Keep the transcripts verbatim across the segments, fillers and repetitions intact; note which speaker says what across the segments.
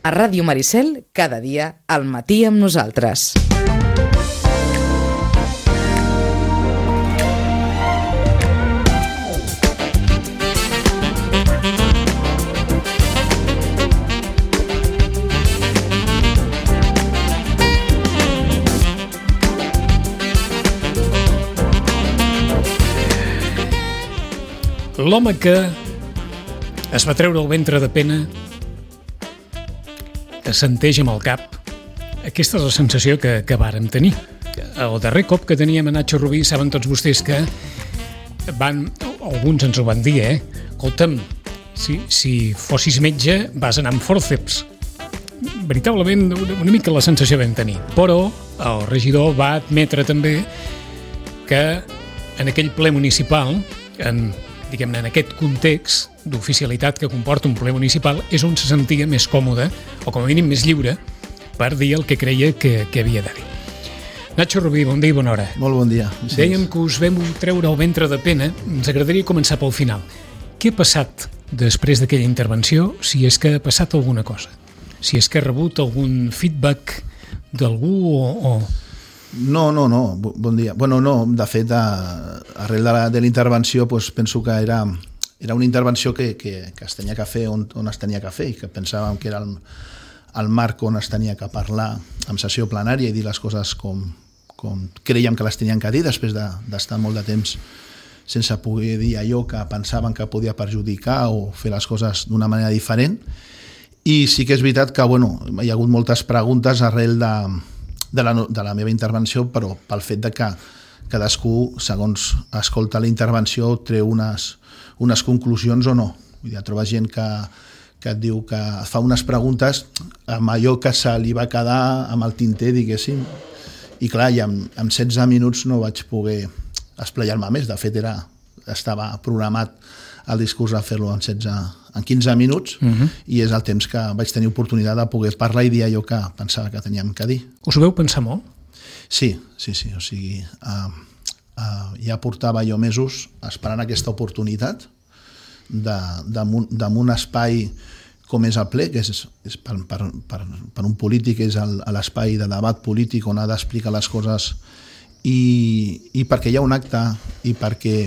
Speaker 1: A Ràdio Maricel, cada dia, al matí amb nosaltres.
Speaker 2: L'home que es va treure el ventre de pena assenteix amb el cap. Aquesta és la sensació que, que vàrem tenir. El darrer cop que teníem a Nacho Rubí, saben tots vostès que van, alguns ens ho van dir, eh? Escolta'm, si, si fossis metge vas anar amb fòrceps. Veritablement, una mica la sensació vam tenir. Però el regidor va admetre també que en aquell ple municipal, en diguem-ne, en aquest context d'oficialitat que comporta un ple municipal, és on se sentia més còmode, o com a mínim més lliure, per dir el que creia que, que havia de dir. Nacho Rubí, bon dia i bona hora.
Speaker 3: Molt bon dia.
Speaker 2: Sí. Dèiem que us vam treure el ventre de pena. Ens agradaria començar pel final. Què ha passat després d'aquella intervenció, si és que ha passat alguna cosa? Si és que ha rebut algun feedback d'algú o... o...
Speaker 3: No, no, no, bon dia. Bueno, no, de fet, a, arrel de la, de la intervenció, pues, penso que era, era una intervenció que, que, que es tenia que fer on, on es tenia que fer i que pensàvem que era el, el marc on es tenia que parlar en sessió plenària i dir les coses com, com creiem que les tenien que dir després de, d'estar molt de temps sense poder dir allò que pensaven que podia perjudicar o fer les coses d'una manera diferent. I sí que és veritat que bueno, hi ha hagut moltes preguntes arrel de De la, de la meva intervenció, però pel fet de que cadascú, segons escolta la intervenció, treu unes, unes conclusions o no. Vull dir, trobes gent que, que et diu que fa unes preguntes amb allò que se li va quedar amb el tinter, diguéssim, i clar, i amb, amb setze minuts no vaig poder esplayar-me més. De fet, era, estava programat el discurs a fer-lo en, setze, en quinze minuts, uh-huh. I és el temps que vaig tenir oportunitat de poder parlar i dir allò que pensava que teníem que dir.
Speaker 2: Us ho veu pensar molt?
Speaker 3: Sí, sí, sí. O sigui, uh, uh, ja portava jo mesos esperant aquesta oportunitat de, de, de un espai com és el ple, que és, és per, per, per, per un polític és el, l'espai de debat polític on ha d'explicar les coses i, i perquè hi ha un acte i perquè,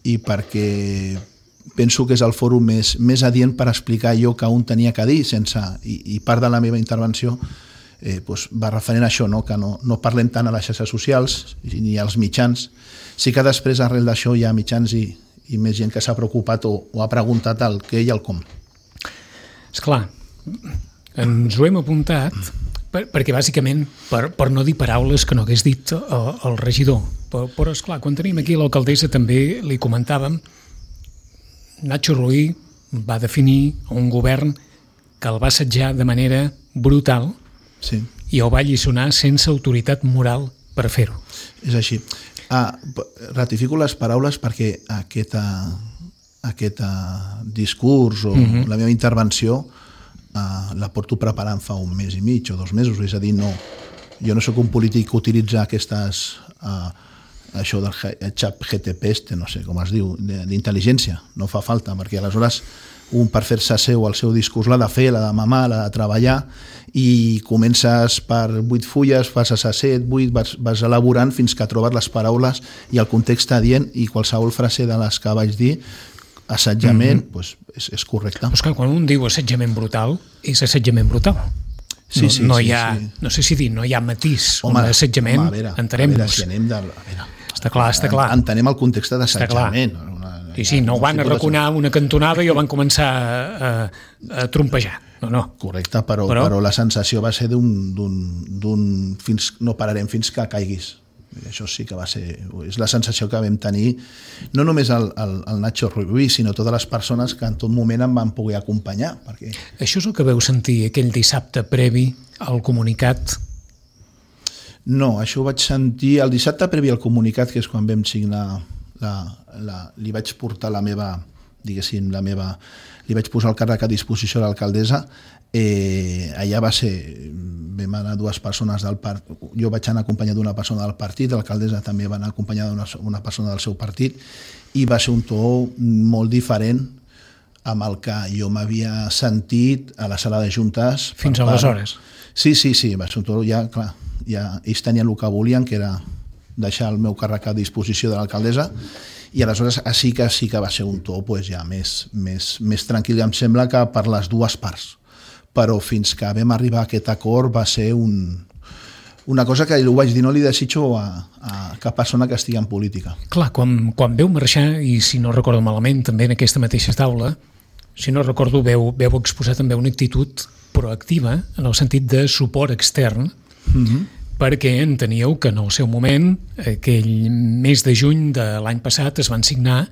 Speaker 3: i perquè penso que és el fòrum més, més adient per explicar allò que un tenia que dir sense, i, i part de la meva intervenció eh, doncs va referent a això, no? Que no, no parlem tant a les xarxes socials ni als mitjans. Sí que després arrel d'això hi ha mitjans i, i més gent que s'ha preocupat o, o ha preguntat el què i el com.
Speaker 2: Esclar, ens ho hem apuntat per, perquè bàsicament per, per no dir paraules que no hagués dit el, el regidor, però, però esclar, quan tenim aquí l'alcaldessa també li comentàvem. Nacho Rubí va definir un govern que el va assetjar de manera brutal,
Speaker 3: sí.
Speaker 2: I el va alliçonar sense autoritat moral per fer-ho.
Speaker 3: És així. Ah, ratifico les paraules perquè aquest, aquest discurs o uh-huh. la meva intervenció ah, la porto preparant fa un mes i mig o dos mesos, és a dir, no, jo no sóc un polític que utilitza aquestes... Ah, això del xat G T P este, no sé com es diu, d'intel·ligència, no fa falta, perquè aleshores un per fer-se seu el seu discurs l'ha de fer, l'ha de mamar, l'ha de treballar i comences per vuit fulles, passes a set, vuit, vas, vas elaborant fins que trobes les paraules i el context adient i qualsevol frase de les que vaig dir, assetjament, mm-hmm. pues, és, és correcte.
Speaker 2: Però és que quan un diu assetjament brutal, és assetjament brutal.
Speaker 3: Sí, sí,
Speaker 2: no, no
Speaker 3: sí,
Speaker 2: hi ha,
Speaker 3: sí.
Speaker 2: no sé si dir, no hi ha matís,
Speaker 3: home,
Speaker 2: un assetjament,
Speaker 3: home, a veure,
Speaker 2: entenem-nos.
Speaker 3: A veure, si anem de... A veure,
Speaker 2: està clar, està clar.
Speaker 3: Entenem el context d'assetjament.
Speaker 2: Sí, sí, no ho van arraconar una cantonada i ho van començar a, a trompejar. No, no.
Speaker 3: Correcte, però, però... però la sensació va ser d'un, d'un, d'un fins, no pararem fins que caiguis. Això sí que va ser... És la sensació que vam tenir, no només el, el, el Nacho Rubí, sinó totes les persones que en tot moment em van poder acompanyar. Perquè...
Speaker 2: Això és el que veu sentir aquell dissabte previ al comunicat?
Speaker 3: No, això ho vaig sentir el dissabte previ al comunicat, que és quan vam signar, la, la, li vaig portar la meva, diguéssim, la meva, li vaig posar el càrrec a disposició de l'alcaldessa. Eh, allà va ser, vam anar dues persones del partit, jo vaig anar acompanyat d'una persona del partit, l'alcaldessa també va anar acompanyada d'una una persona del seu partit, i va ser un to molt diferent amb el que jo m'havia sentit a la sala de juntes.
Speaker 2: Fins aleshores?
Speaker 3: Sí, sí, sí, sobretot ja, clar, ja ells tenien el que volien, que era deixar el meu càrrec a disposició de l'alcaldessa, i aleshores sí que sí que va ser un to pues, ja més, més, més tranquil, em sembla que per les dues parts. Però fins que vam arribar a aquest acord va ser un, una cosa que ho vaig dir, no li desitjo a, a cap persona que estigui en política.
Speaker 2: Clar, quan, quan veu marxar, i si no recordo malament, també en aquesta mateixa taula, si no recordo, veu, veu exposar també una actitud proactiva en el sentit de suport extern, mm-hmm. perquè enteníeu que en el seu moment, aquell mes de juny de l'any passat, es van signar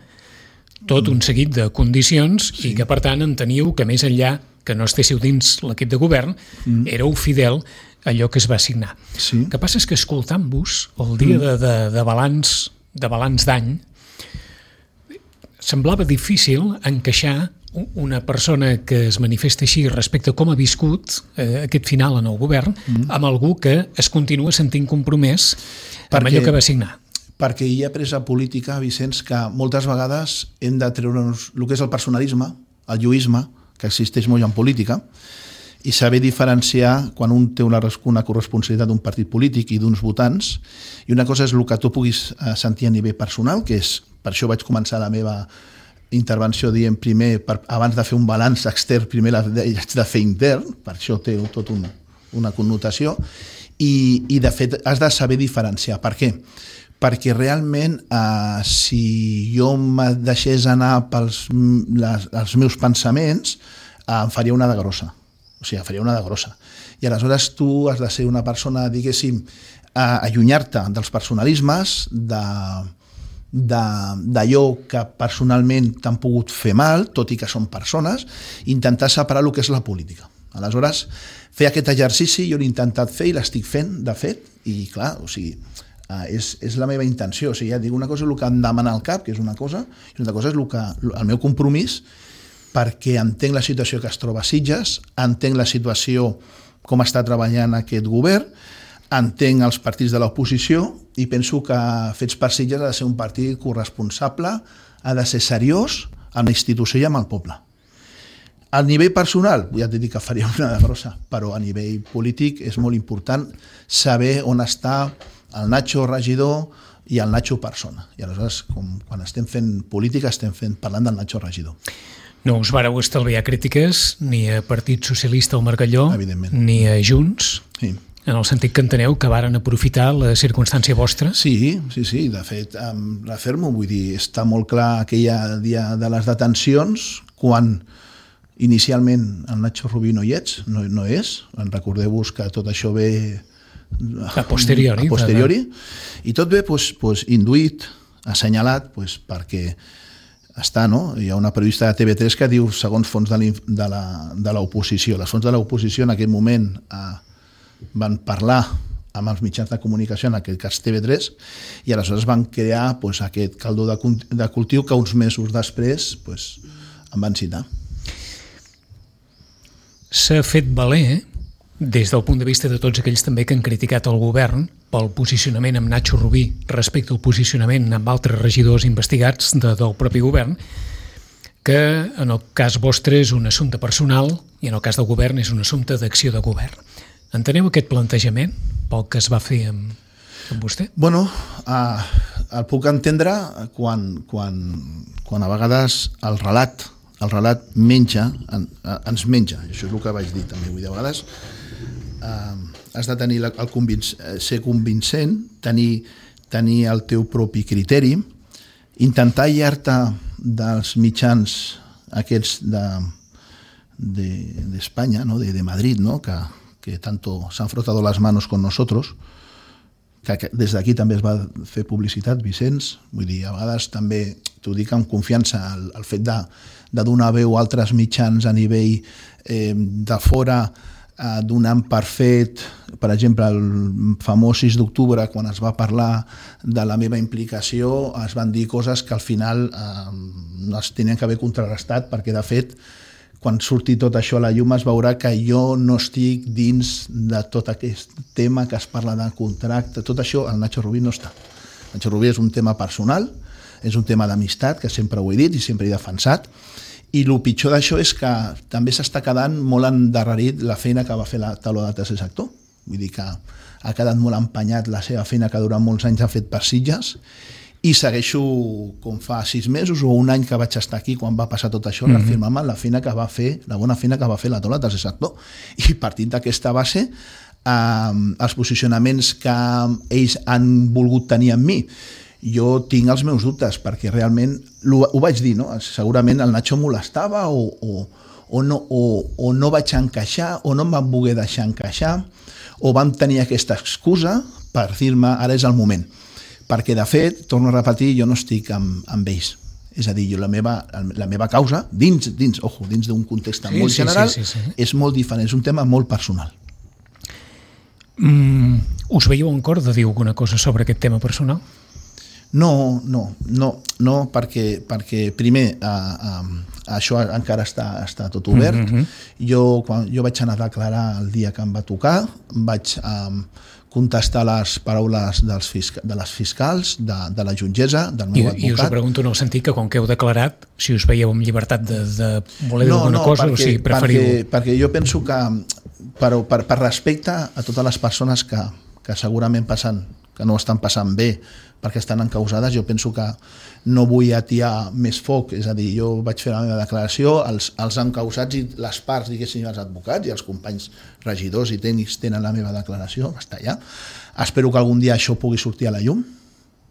Speaker 2: tot un seguit de condicions sí. i que, per tant, enteníeu que més enllà que no estéssiu dins l'equip de govern, mm. éreu fidel a allò que es va signar.
Speaker 3: Sí.
Speaker 2: El que passa és que escoltant-vos el dia mm. de, de, de balanç de balanç d'any semblava difícil encaixar una persona que es manifesta així respecte a com ha viscut eh, aquest final en el govern mm. amb algú que es continua sentint compromès perquè, amb allò que va signar.
Speaker 3: Perquè hi ha presa política, Vicenç, que moltes vegades hem de treure'ns el que és el personalisme, el lluïsme, que existeix molt en política, i saber diferenciar quan un té una, una corresponsabilitat d'un partit polític i d'uns votants, i una cosa és el que tu puguis sentir a nivell personal, que és, per això vaig començar la meva intervenció dient primer, per, abans de fer un balanç extern, primer l'haig de fer intern, per això té tot un, una connotació, i, i de fet has de saber diferenciar. Per què? Perquè realment eh, si jo me deixés anar pels les, els meus pensaments, eh, em faria una de grossa. O sigui, em faria una de grossa. I aleshores tu has de ser una persona, diguéssim, eh, allunyar-te dels personalismes, de d'allò que personalment t'han pogut fer mal, tot i que són persones, intentar separar el que és la política. Aleshores, fer aquest exercici jo l'he intentat fer i l'estic fent, de fet, i clar, o sigui, Uh, és, és la meva intenció, o sigui, ja dic, una cosa és el que em demana el cap, que és una cosa, i una cosa és el, que, el meu compromís, perquè entenc la situació que es troba a Sitges, entenc la situació com està treballant aquest govern, entenc els partits de l'oposició i penso que Fets per Sitges ha de ser un partit corresponsable, ha de ser seriós amb la institució i amb el poble. A nivell personal, ja t'he dit que faria una de grossa, però a nivell polític és molt important saber on està el Nacho regidor i el Nacho persona. I aleshores, com quan estem fent política, estem fent, parlant del Nacho regidor.
Speaker 2: No us vareu estalviar crítiques ni a Partit Socialista o Margalló, ni a Junts, sí. En el sentit que enteneu que varen aprofitar la circumstància vostra?
Speaker 3: Sí, sí, sí. De fet, refermo, vull dir, està molt clar aquell dia de les detencions, quan inicialment el Nacho Rubí no hi ets, no, no és. Recordeu-vos que tot això ve
Speaker 2: a posteriori,
Speaker 3: a posteriori i tot bé pues, pues, induït, assenyalat pues, perquè està, no? Hi ha una periodista de T V tres que diu segons fons de l'oposició. Les fonts de l'oposició en aquell moment eh, van parlar amb els mitjans de comunicació, en aquest cas T V tres, i aleshores van crear pues, aquest caldo de, de cultiu que uns mesos després pues, em van citar.
Speaker 2: S'ha fet valer, eh? Des del punt de vista de tots aquells també que han criticat el govern pel posicionament amb Nacho Rubí respecte al posicionament amb altres regidors investigats de, del propi govern, que en el cas vostre és un assumpte personal i en el cas del govern és un assumpte d'acció de govern. Enteneu aquest plantejament pel que es va fer amb, amb vostè?
Speaker 3: Bueno, eh, el puc entendre quan, quan, quan a vegades el relat, el relat menja, en, ens menja, això és el que vaig dir també, vull dir, a vegades Uh, has de tenir el convinc ser convincent, tenir, tenir el teu propi criteri, intentar aïllar-te dels mitjans aquests d'Espanya, de, de ¿no? de, de Madrid, ¿no? que, que tanto s'han frotado las manos con nosotros, que, que des d'aquí també es va fer publicitat, Vicenç, vull dir, a vegades també t'ho dic amb confiança, el, el fet de, de donar veu a altres mitjans a nivell eh, de fora, donant per fet, per exemple, el famós sis d'octubre, quan es va parlar de la meva implicació, es van dir coses que al final eh, no es tenien que haver contrarrestat, perquè de fet, quan surti tot això a la llum es veurà que jo no estic dins de tot aquest tema que es parla de contracte, tot això el Nacho Rubí no està. El Nacho Rubí és un tema personal, és un tema d'amistat, que sempre ho he dit i sempre he defensat, I el pitjor d'això és que també s'està quedant molt endarrerit la feina que va fer la taula de tercer sector. Vull dir que ha quedat molt empenyat la seva feina que durant molts anys ha fet per Sitges, i segueixo com fa sis mesos o un any que vaig estar aquí quan va passar tot això, mm-hmm. reafirmant la feina que va fer, la bona feina que va fer la taula de tercer sector. I partint d'aquesta base, eh, els posicionaments que ells han volgut tenir amb mi, jo tinc els meus dubtes, perquè realment, ho vaig dir, no? Segurament el Nacho molestava o, o, o, no, o, o no vaig encaixar, o no em van voler deixar encaixar, o vam tenir aquesta excusa per dir-me ara és el moment. Perquè, de fet, torno a repetir, jo no estic amb, amb ells. És a dir, jo la meva, la meva causa, dins, dins, ojo, dins d'un context sí, molt sí, general, sí, sí, sí. és molt diferent, és un tema molt personal.
Speaker 2: Mm, us veieu en cor de dir alguna cosa sobre aquest tema personal?
Speaker 3: No, no, no, no perquè, perquè primer, uh, um, això encara està, està tot obert. Mm-hmm. Jo, quan, jo vaig anar a declarar el dia que em va tocar, vaig... Um, contestar les paraules dels fisca, de les fiscals, de, de la jutgessa, del meu I, advocat. I us ho pregunto en
Speaker 2: el sentit que, com que heu declarat, si us veieu amb llibertat de, de voler dir no, alguna no, cosa perquè, o si preferiu...
Speaker 3: Perquè, perquè jo penso que, per, per, per respecte a totes les persones que, que segurament passen, que no estan passant bé perquè estan encausades, jo penso que no vull atiar més foc, és a dir, jo vaig fer la meva declaració, els, els encausats i les parts, diguéssim, els advocats i els companys regidors i tècnics tenen la meva declaració, està allà. Espero que algun dia això pugui sortir a la llum,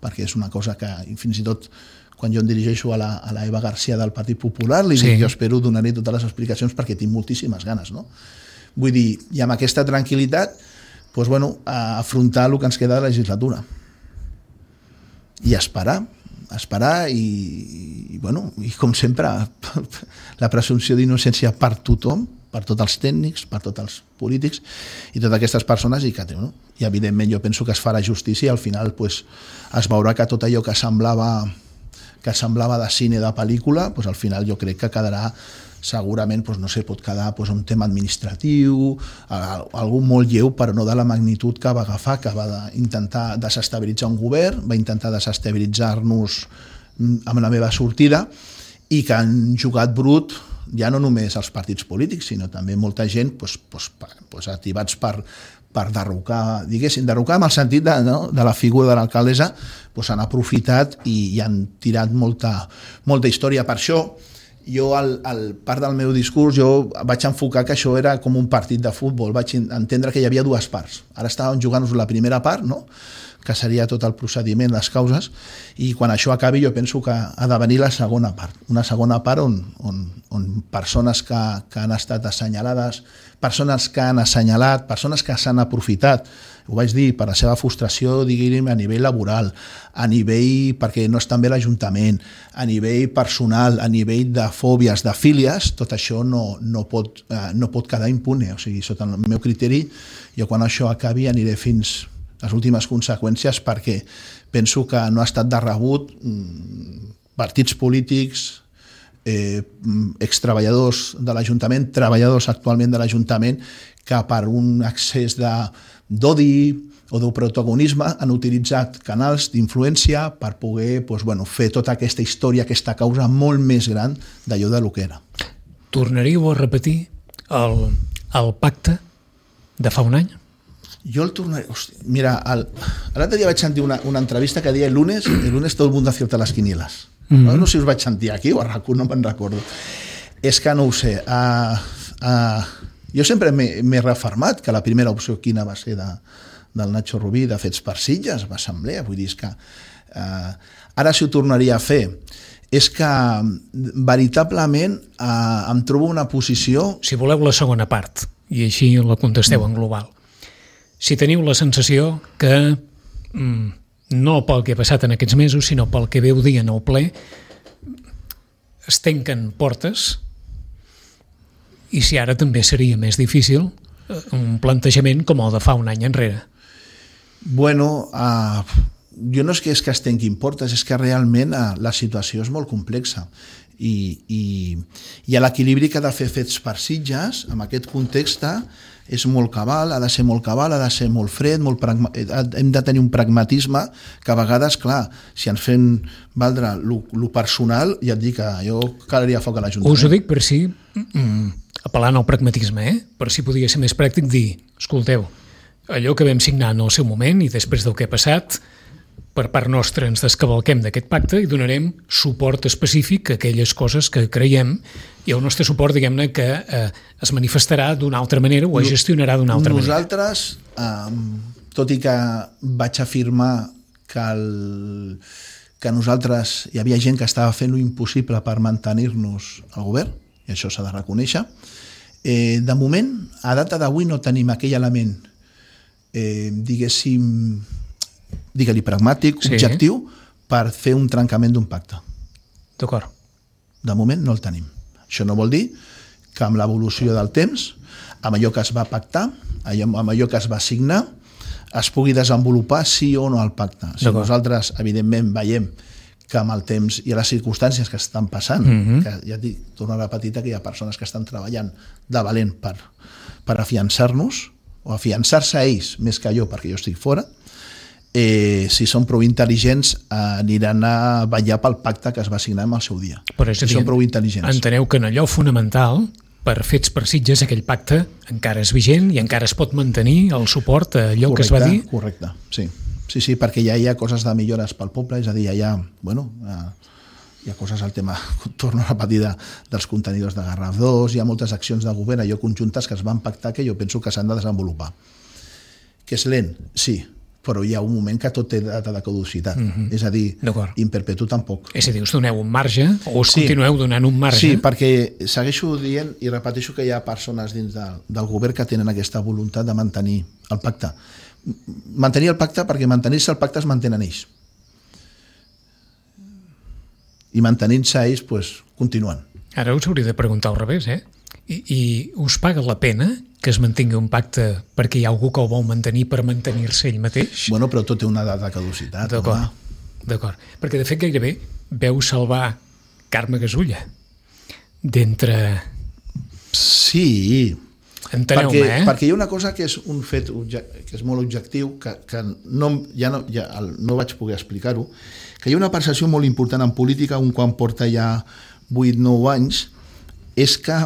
Speaker 3: perquè és una cosa que fins i tot quan jo em dirigeixo a la, a la Eva García del Partit Popular, li sí. dic, jo espero donaré totes les explicacions perquè tinc moltíssimes ganes, no? Vull dir, i amb aquesta tranquil·litat, doncs, bueno, afrontar el que ens queda de la legislatura. I esperar, esperar i, i, bueno, i com sempre, la presumpció d'innocència per tothom, per tots els tècnics, per tots els polítics i totes aquestes persones, i que no? I evidentment jo penso que es farà justícia i al final pues, es veurà que tot allò que semblava, que semblava de cine, de pel·lícula, pues, al final jo crec que quedarà segurament, doncs, no sé, pot quedar doncs, un tema administratiu, algú molt lleu, però no de la magnitud que va agafar, que va intentar desestabilitzar un govern, va intentar desestabilitzar-nos amb la meva sortida, i que han jugat brut ja no només els partits polítics, sinó també molta gent doncs, doncs, activats per, per derrocar, diguéssim, derrocar en el sentit de, no, de la figura de l'alcaldessa, doncs han aprofitat i, i han tirat molta, molta història. Per això, jo, al, al part del meu discurs, jo vaig enfocar que això era com un partit de futbol, vaig entendre que hi havia dues parts. Ara estàvem jugant-nos la primera part, no?, que seria tot el procediment, les causes, i quan això acabi jo penso que ha de venir la segona part, una segona part on, on, on persones que, que han estat assenyalades, persones que han assenyalat, persones que s'han aprofitat, ho vaig dir, per la seva frustració, diguem, a nivell laboral, a nivell, perquè no estan bé l'Ajuntament, a nivell personal, a nivell de fòbies, de fílies, tot això no, no, pot, eh, no pot quedar impune. O sigui, sota el meu criteri, jo quan això acabi aniré fins les últimes conseqüències, perquè penso que no ha estat de rebut partits polítics, eh, extreballadors de l'Ajuntament, treballadors actualment de l'Ajuntament, que per un excés de d'odi o de protagonisme han utilitzat canals d'influència per poder doncs, bueno, fer tota aquesta història, aquesta causa molt més gran d'allò de lo que era.
Speaker 2: Tornaríeu a repetir el, el pacte de fa un any?
Speaker 3: Jo el tornaré... Hosti, mira, l'altre dia vaig sentir una, una entrevista que deia el lunes, el lunes todo el mundo acierta las quinielas. Mm-hmm. No, no sé si us vaig sentir aquí o a RAC u, no me'n recordo. És que no ho sé. Uh, uh, jo sempre m'he refermat que la primera opció quina va ser de, del Nacho Rubí, de Fets per Sitges, l'assemblea. Vull dir, és que uh, ara si ho tornaria a fer, és que veritablement uh, em trobo una posició...
Speaker 2: Si voleu la segona part, i així la contesteu en global. Si teniu la sensació que, mm, no pel que ha passat en aquests mesos, sinó pel que veu dir en el ple, es tanquen portes, i si ara també seria més difícil un plantejament com el de fa un any enrere.
Speaker 3: Bueno, uh, jo no és que, és que es tanquin portes, és que realment uh, la situació és molt complexa. I, i, i l'equilibri que ha de fer fets per Sitges, en aquest context, és molt cabal, ha de ser molt cabal, ha de ser molt fred, molt pragma... hem de tenir un pragmatisme que a vegades, clar, si ens fem valdre lo personal, ja et dic que jo calaria foc a l'Ajuntament.
Speaker 2: Us ho dic per si, mm, apel·lant al pragmatisme, eh? per si podia ser més pràctic dir, escolteu, allò que vam signar en el seu moment i després del que ha passat, per part nostra ens descavalquem d'aquest pacte i donarem suport específic a aquelles coses que creiem i el nostre suport, diguem-ne, que eh, es manifestarà d'una altra manera o es gestionarà d'una altra
Speaker 3: Nosaltres, manera. Nosaltres, eh, tot i que vaig afirmar que, el, que nosaltres hi havia gent que estava fent l'impossible per mantenir-nos al govern, i això s'ha de reconèixer, eh, de moment, a data d'avui no tenim aquell element, eh, diguéssim, digue-li pragmàtic, sí. objectiu, per fer un trencament d'un pacte.
Speaker 2: D'acord.
Speaker 3: De moment no el tenim. Això no vol dir que amb l'evolució del temps, amb allò que es va pactar, amb allò que es va signar, es pugui desenvolupar sí o no el pacte. Si nosaltres, evidentment, veiem que amb el temps i les circumstàncies que estan passant, mm-hmm. que ja et dic, torno a repetir que hi ha persones que estan treballant de valent per, per afiançar-nos, o afiançar-se a ells més que jo, perquè jo estic fora, Eh, si són prou intel·ligents eh, aniran a vetllar pel pacte que es va signar en el seu dia.
Speaker 2: Però és a dir,
Speaker 3: si són prou intel·ligents.
Speaker 2: Enteneu que en allò fonamental, per fets per Sitges, aquell pacte encara és vigent i encara es pot mantenir el suport a allò correcte, que es va dir?
Speaker 3: Correcte, sí. Sí, sí, perquè ja hi ha coses de millores pel poble, és a dir, ja hi ha, bueno, hi ha coses al tema, torno a repetir, de, dels contenidors de Garraf dos, hi ha moltes accions de govern, allò conjuntes que es van pactar que jo penso que s'han de desenvolupar. Que és lent, sí, però hi ha un moment que tot té data de caducitat. Mm-hmm. És a dir, in perpetu tampoc.
Speaker 2: És a dir, us doneu un marge o us sí. continueu donant un marge?
Speaker 3: Sí, perquè segueixo dient i repeteixo que hi ha persones dins de, del govern que tenen aquesta voluntat de mantenir el pacte. Mantenir el pacte perquè mantenir-se el pacte es mantenen ells. I mantenint-se ells, pues, continuen.
Speaker 2: Ara us hauria de preguntar al revés, eh? I, i us paga la pena que es mantingui un pacte perquè hi ha algú que el vol mantenir per mantenir-se ell mateix?
Speaker 3: Bueno, però tot té una data de caducitat.
Speaker 2: D'acord, d'acord. Perquè de fet gairebé veu salvar Carme Gasulla d'entre...
Speaker 3: Sí,
Speaker 2: enteneu-me,
Speaker 3: perquè,
Speaker 2: eh?
Speaker 3: perquè hi ha una cosa que és un fet que és molt objectiu, que, que no, ja, no, ja no vaig poder explicar-ho, que hi ha una percepció molt important en política, un quan porta ja vuit nou anys, és que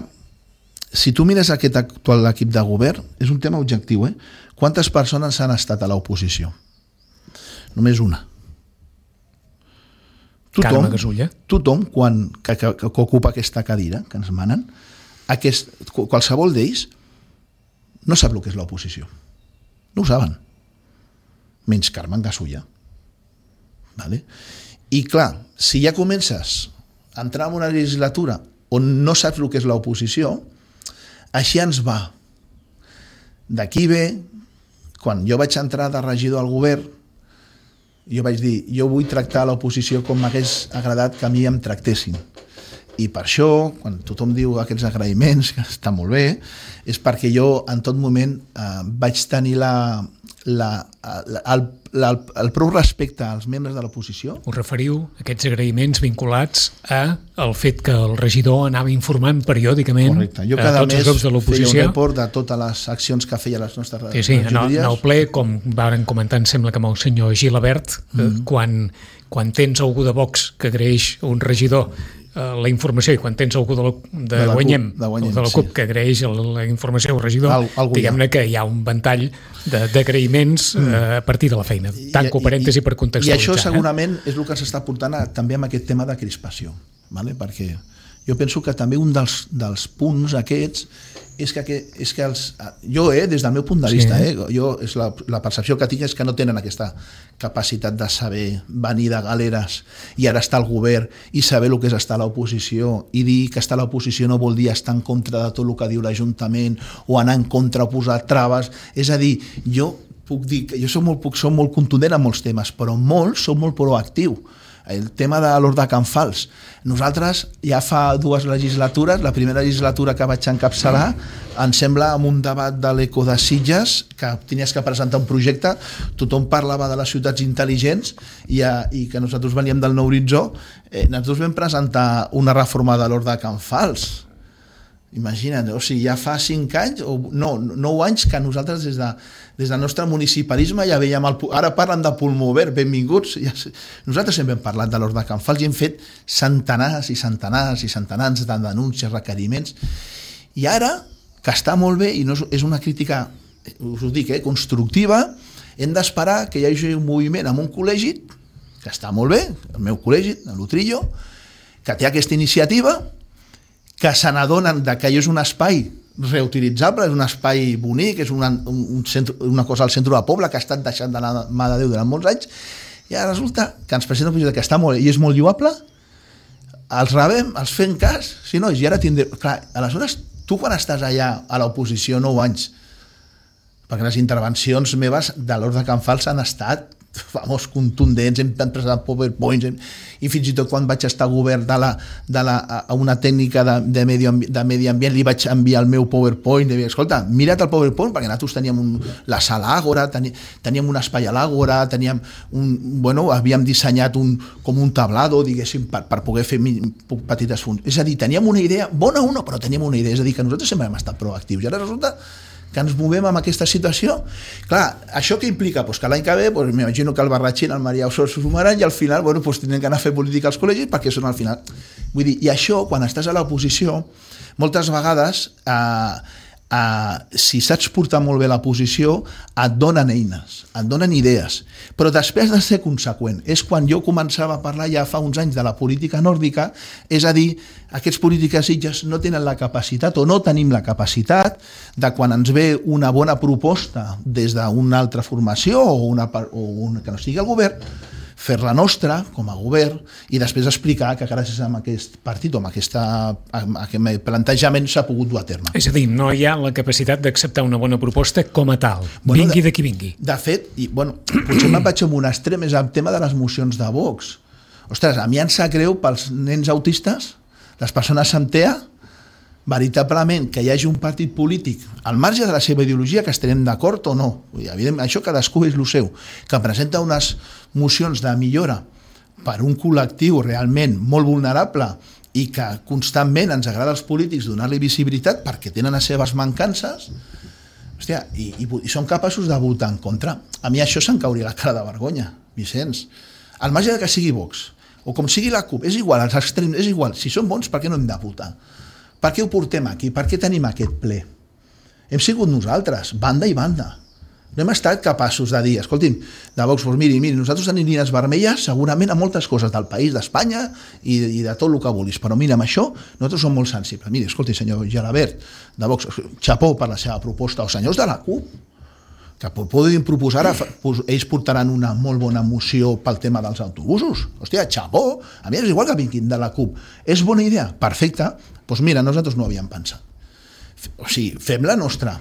Speaker 3: si tu mires aquest actual equip de govern, és un tema objectiu, eh? Quantes persones han estat a l'oposició? Només una. Tothom,
Speaker 2: Carme Gasulla.
Speaker 3: Tothom, quan, que, que, que ocupa aquesta cadira que ens manen, aquest, qualsevol d'ells no sap el que és l'oposició. No ho saben. Menys Carme Gasulla. Vale? I clar, si ja comences a entrar en una legislatura on no saps el que és l'oposició, així ens va. D'aquí ve, quan jo vaig entrar de regidor al govern, jo vaig dir, jo vull tractar l'oposició com m'hagués agradat que a mi em tractessin. I per això, quan tothom diu aquests agraïments, que està molt bé, és perquè jo en tot moment eh, vaig tenir la, la, la, el, la, el prou respecte als membres de l'oposició.
Speaker 2: Us referiu a aquests agraïments vinculats a el fet que el regidor anava informant periòdicament
Speaker 3: Correcte. Jo cada
Speaker 2: a tots els grups de l'oposició.
Speaker 3: Feia un report de totes les accions que feia les nostres
Speaker 2: sí, sí, regidories. En el ple, com varen comentar, em sembla que amb el senyor Gilabert, mm-hmm. quan, quan tens algú de Vox que agraeix un regidor la informació i quan tens algú de, la, de, de Guanyem, de, Guanyem, de la CUP sí. que agraeix la informació al regidor, diguem-ne que hi ha un ventall d'agraïments mm. eh, a partir de la feina. Tanco parèntesi per contextualitzar.
Speaker 3: I això segurament eh? és el que s'està portant a, també amb aquest tema de crispació, vale? Perquè jo penso que també un dels, dels punts aquests és que, és que els, jo, eh, des del meu punt de vista, sí. eh, jo, és la, la percepció que tinc és que no tenen aquesta capacitat de saber venir de galeres i ara estar al govern i saber el que és estar a l'oposició i dir que estar a l'oposició no vol dir estar en contra de tot el que diu l'Ajuntament o anar en contra o posar traves. És a dir, jo puc dir que jo soc molt, puc, soc molt contundent en molts temes, però molts soc molt proactiu. el tema de l'Hort de Can Fals. Nosaltres ja fa dues legislatures, la primera legislatura que vaig encapçalar, em sembla amb un debat de l'Eco de Sitges, que tenies que presentar un projecte, tothom parlava de les ciutats intel·ligents i, i que nosaltres veníem del Nou Horitzó, eh, nosaltres vam presentar una reforma de l'Hort de Can Fals. Imagina't, o sigui, ja fa cinc anys, o no, nou anys que nosaltres des, de, des del nostre municipalisme ja veiem, el, ara parlen de pulmó verd, benvinguts, ja, nosaltres sempre hem parlat de l'Hort de Can Fals i hem fet centenars i centenars i centenars de denúncies, requeriments, i ara, que està molt bé, i no és, és una crítica, us ho dic, eh, constructiva, hem d'esperar que hi hagi un moviment en un col·legi, que està molt bé, el meu col·legi, l'Utrillo, que té aquesta iniciativa, que se n'adonen que és un espai reutilitzable, és un espai bonic, és una, un, un centre, una cosa al centre del poble que ha estat deixant de la mà de Déu durant molts anys, i ara resulta que ens presenta un projecte que està molt i és molt lloable, els rebem, els fem cas, si no, i ara tindrem... Clar, aleshores, tu quan estàs allà a l'oposició nou anys, perquè les intervencions meves de l'Hort de Can Fals han estat vamos, contundents, hem presentat PowerPoints, hem, i fins i tot quan vaig estar a govern de la, de la, a una tècnica de, de, medi, de medi ambient li vaig enviar el meu PowerPoint, de dir, escolta, mira't el PowerPoint, perquè nosaltres teníem un, la sala Àgora, tení, teníem un espai a l'Àgora, teníem un, bueno, havíem dissenyat un, com un tablado, diguéssim, per, per poder fer petites funcions. És a dir, teníem una idea, bona o no, però teníem una idea, és a dir, que nosaltres sempre hem estat proactius, i ara resulta que ens movem amb aquesta situació. Clar, això què implica? Pues que l'any que ve, pues, m'imagino que el Barratxín, el Maria Osor s'ho sumaran i al final, bueno, pues, tindrem que anar a fer política als col·legis perquè són al final. Vull dir, i això, quan estàs a l'oposició, moltes vegades, eh, eh, si saps portar molt bé la posició, et donen eines, et donen idees, però després de ser conseqüent. És quan jo començava a parlar ja fa uns anys de la política nòrdica, és a dir, aquests polítiques sitges no tenen la capacitat o no tenim la capacitat de quan ens ve una bona proposta des d'una altra formació o una, o una que no sigui el govern, fer-la nostra com a govern i després explicar que gràcies a aquest partit o amb, aquesta, amb aquest plantejament s'ha pogut dur a terme.
Speaker 2: És a dir, no hi ha la capacitat d'acceptar una bona proposta com a tal, bueno, vingui de, de qui vingui.
Speaker 3: De fet, i, bueno, potser me'n vaig amb un extrem, és el tema de les mocions de Vox. Ostres, a mi em sap greu pels nens autistes, les persones amb T E A, veritablement que hi hagi un partit polític al marge de la seva ideologia, que estarem d'acord o no, evidentment, això cadascú és el seu, que presenta unes mocions de millora per un col·lectiu realment molt vulnerable i que constantment ens agrada als polítics donar-li visibilitat perquè tenen les seves mancances, hòstia, i, i, i són capaços de votar en contra. A mi això se'm cauria la cara de vergonya, Vicenç. Al marge de que sigui Vox, o com sigui la CUP, és igual, els extrems, és igual, si són bons, per què no hem de votar? Per què ho portem aquí? Per què tenim aquest ple? Hem sigut nosaltres, banda i banda. No hem estat capaços de dir, escolti'm, de Vox, doncs miri, miri, nosaltres tenim línies vermelles segurament a moltes coses del país, d'Espanya i, i de tot el que vulguis, però mira, amb això nosaltres som molt sensibles. Miri, escolti, senyor Gelabert, de Vox, xapó per la seva proposta, o senyors de la CUP, que poden proposar, ells portaran una molt bona moció pel tema dels autobusos. Hòstia, xapó, a mi és igual que vinguin de la CUP. És bona idea? Perfecte. Doncs mira, nosaltres no ho havíem pensat. O sigui, fem la nostra.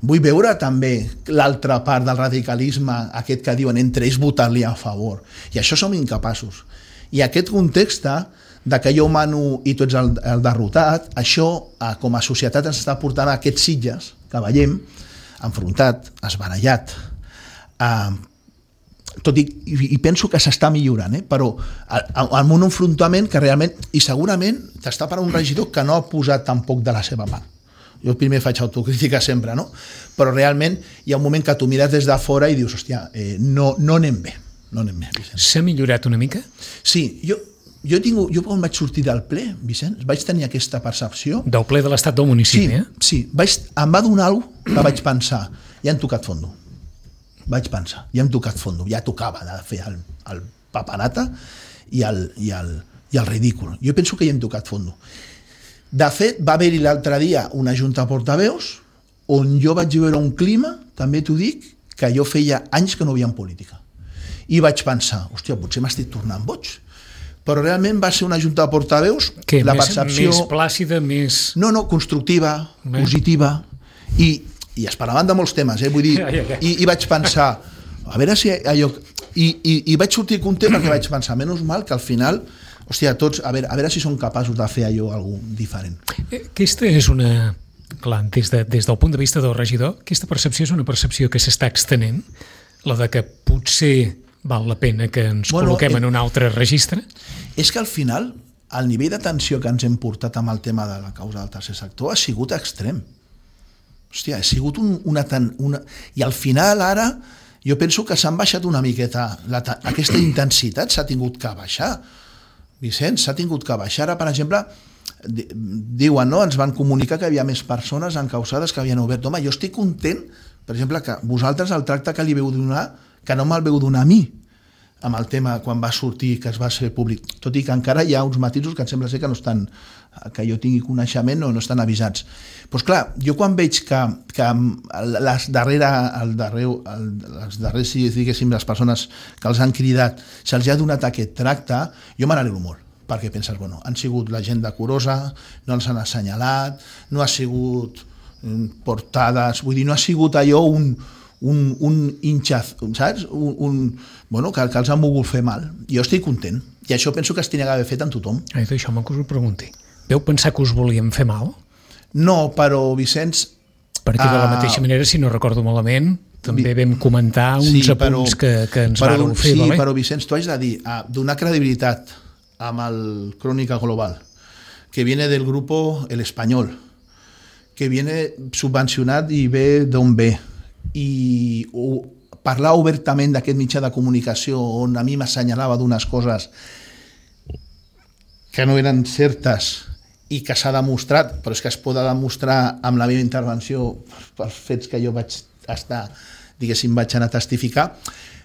Speaker 3: Vull veure també l'altra part del radicalisme, aquest que diuen entre ells votar-li a favor. I això som incapaços. I aquest context de que jo mano i tu ets el, el derrotat, això com a societat ens està portant a aquests Sitges que veiem, enfrontat, esbarallat, eh, tot i, i penso que s'està millorant, eh? Però amb un enfrontament que realment, i segurament t'està per un regidor que no ha posat tampoc de la seva part. Jo primer faig autocrítica sempre, no? Però realment hi ha un moment que tu mires des de fora i dius, hòstia, eh, no, no anem bé, no anem bé, Vicenç.
Speaker 2: S'ha millorat una mica?
Speaker 3: Sí, jo, jo, tinc, jo quan vaig sortir del ple, Vicenç, vaig tenir aquesta percepció...
Speaker 2: Del ple de l'estat del municipi,
Speaker 3: sí,
Speaker 2: eh?
Speaker 3: Sí, vaig, em va donar alguna cosa que vaig pensar, ja hem tocat fondo. Vaig pensar, ja hem tocat fondo, ja tocava de fer el, el papanata i el, i, el, i el ridícul. Jo penso que ja hem tocat fondo. De fet, va haver-hi l'altre dia una junta de portaveus on jo vaig veure un clima, també t'ho dic, que jo feia anys que no veia en política. I vaig pensar, hòstia, potser m'estic tornant boig. Però realment va ser una junta de portaveus,
Speaker 2: que
Speaker 3: la
Speaker 2: més,
Speaker 3: percepció...
Speaker 2: més plàcida, més...
Speaker 3: No, no, constructiva,
Speaker 2: bé,
Speaker 3: positiva, i, i es parlaven de molts temes, eh? Vull dir, i, i vaig pensar, a veure si allò... I, i, i vaig sortir content perquè vaig pensar, menys mal que al final, hòstia, tots, a veure, a veure si són capaços de fer allò algú diferent.
Speaker 2: Aquesta és una... Clar, des, de, des del punt de vista del regidor, aquesta percepció és una percepció que s'està extenent, la de que potser val la pena que ens bueno, col·loquem eh, en un altre registre? És
Speaker 3: que al final el nivell d'atenció que ens hem portat amb el tema de la causa del tercer sector ha sigut extrem. Hòstia, ha sigut un, una, una... I al final ara jo penso que s'han baixat una miqueta, la, aquesta intensitat s'ha tingut que baixar. Vicenç, s'ha tingut que baixar. Ara, per exemple, diuen, no? Ens van comunicar que hi havia més persones encausades que havien obert. Home, jo estic content, per exemple, que vosaltres el tracte que li veu donar, que no me'l veu donar a mi, amb el tema quan va sortir, que es va ser públic, tot i que encara hi ha uns matisos que em sembla ser que no estan, que jo tingui coneixement o no estan avisats. Doncs clar, jo quan veig que, que les darrere, el darrer, el, les darrers, si diguéssim, les persones que els han cridat, se'ls ha donat aquest tracte, jo me n'alegro molt, perquè penses, bueno, han sigut la gent decorosa, no els han assenyalat, no ha sigut portades, vull dir, no ha sigut allò un, un, un hinchaz, saps? Un, un, bueno, que, que els han volgut fer mal. Jo estic content, i això penso que es tenia d'haver fet amb tothom.
Speaker 2: Ai, d'això me que us ho pregunti. Veu pensar que us volíem fer mal?
Speaker 3: No, però, Vicenç...
Speaker 2: Perquè de la mateixa uh, manera, si no recordo malament, també vam comentar uns
Speaker 3: sí,
Speaker 2: apunts
Speaker 3: però,
Speaker 2: que, que ens
Speaker 3: però,
Speaker 2: vàreu fer,
Speaker 3: sí,
Speaker 2: valer?
Speaker 3: Però, Vicenç, tu has de dir, uh, donar credibilitat amb el Crónica Global, que viene del grupo El Español, que viene subvencionat i ve d'on ve, i o, parlar obertament d'aquest mitjà de comunicació on a mi m'assenyalava d'unes coses que no eren certes i que s'ha demostrat, però és que es pot demostrar amb la meva intervenció pels fets que jo vaig estar, diguéssim, vaig anar a testificar,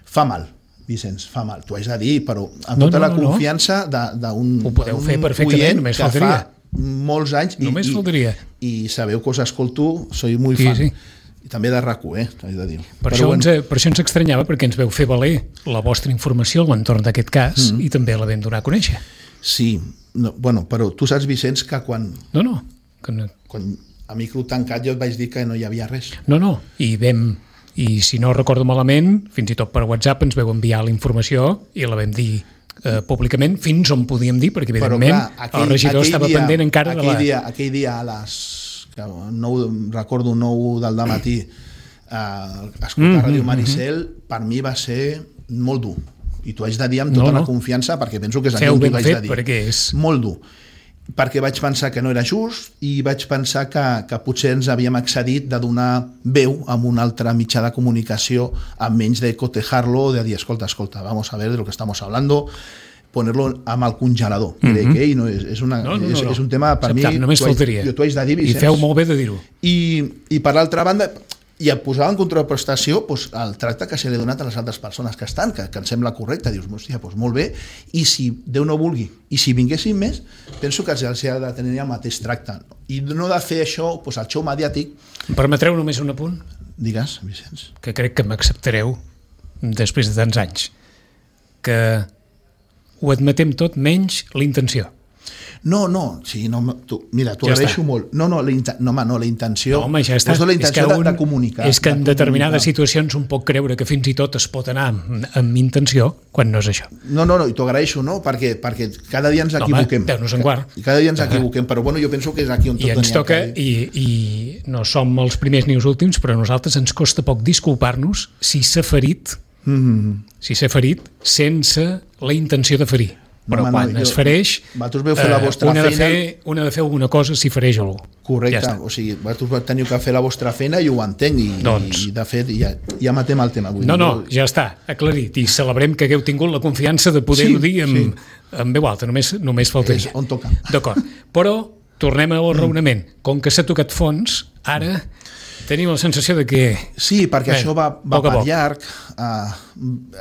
Speaker 3: fa mal. Vicenç, fa mal, t'ho haig de dir, però amb
Speaker 2: no,
Speaker 3: tota
Speaker 2: no,
Speaker 3: la
Speaker 2: no,
Speaker 3: confiança d'un
Speaker 2: oient que
Speaker 3: fa molts anys i,
Speaker 2: i,
Speaker 3: i sabeu que us escolto, soy muy fan. Sí, sí. I també de RAC u, eh, t'ho haig de dir.
Speaker 2: Per, això bueno. ens, per això ens extranyava, perquè ens veu fer valer la vostra informació a l'entorn d'aquest cas mm. i també la vam donar a conèixer.
Speaker 3: Sí, no, bueno, però tu saps, Vicenç, que quan...
Speaker 2: No, no. Que no...
Speaker 3: Quan a micro tancat jo et vaig dir que no hi havia res.
Speaker 2: No, no, i vam... I si no recordo malament, fins i tot per WhatsApp ens veu enviar la informació i la vam dir eh, públicament fins on podíem dir, perquè evidentment però, clar, aquell, el regidor estava dia, pendent encara
Speaker 3: aquell
Speaker 2: de la...
Speaker 3: Dia, aquell dia a les... nou, recordo nou del dematí eh, escoltar mm, Ràdio Maricel, mm, per mi va ser molt dur. I t'ho haig de dir amb tota no, no. la confiança, perquè penso que és allò que t'ho haig de dir.
Speaker 2: Perquè és...
Speaker 3: Molt dur. Perquè vaig pensar que no era just i vaig pensar que, que potser ens havíem excedit de donar veu a un altre mitjà de comunicació amb menys de cotejarlo o de dir, escolta, escolta, vamos a ver de lo que estamos hablando, ponerlo amb el congelador. Mm -hmm. que no, és, és, una,
Speaker 2: no, no, no,
Speaker 3: és,
Speaker 2: no.
Speaker 3: és un tema per
Speaker 2: Acceptat,
Speaker 3: mi...
Speaker 2: Només faltaria.
Speaker 3: Jo t'ho haig de dir, Vicenç.
Speaker 2: I feu molt bé de dir-ho.
Speaker 3: I, I per l'altra banda... I em posava en contraprestació doncs, el tracte que se li ha donat a les altres persones que estan, que, que em sembla correcte. Dius, hòstia, doncs molt bé, i si Déu no vulgui, i si vinguessin més, penso que els ha de tenir el mateix tracte. I no de fer això, doncs, el xou mediàtic...
Speaker 2: Em permetreu només un apunt?
Speaker 3: Digues, Vicenç.
Speaker 2: Que crec que m'acceptareu, després de tants anys, que ho admetem tot menys l'intenció.
Speaker 3: No, no, sí, no tu, mira, t'ho ja agraeixo molt. No, no, la, no, home, no, la intenció...
Speaker 2: No, home, ja està.
Speaker 3: La intenció
Speaker 2: és que un,
Speaker 3: de, de comunicar.
Speaker 2: És que en
Speaker 3: de
Speaker 2: determinades comunicar. situacions un pot creure que fins i tot es pot anar amb, amb intenció, quan no és això.
Speaker 3: No, no, no, i t'ho agraeixo, no? Perquè, perquè cada dia ens equivoquem.
Speaker 2: No, home, Déu-nos en guard.
Speaker 3: Cada dia ens equivoquem, però bueno, jo penso que és aquí on tot
Speaker 2: I ens toca,
Speaker 3: que...
Speaker 2: i, i no som els primers ni els últims, però a nosaltres ens costa poc disculpar-nos si s'ha ferit, mm-hmm. si s'ha ferit sense la intenció de ferir. Però no, quan no, es fereix,
Speaker 3: vosaltres veu fer la vostra
Speaker 2: eh, una,
Speaker 3: feina...
Speaker 2: de fer, una de fer alguna cosa si fereix algú.
Speaker 3: Correcte, ja o sigui, vosaltres teniu que fer la vostra feina i ho entenc, i,
Speaker 2: doncs.
Speaker 3: i de fet ja, ja matem el tema. Vull
Speaker 2: no,
Speaker 3: dir,
Speaker 2: no, ja està, aclarit, i celebrem que hagueu tingut la confiança de poder-ho sí, dir amb, sí. amb veu alta, només, només faltaria.
Speaker 3: És on toca.
Speaker 2: D'acord, però tornem al raonament. Com que s'ha tocat fons, ara... Tenim la sensació de que...
Speaker 3: Sí, perquè bé, això va, va per llarg, uh,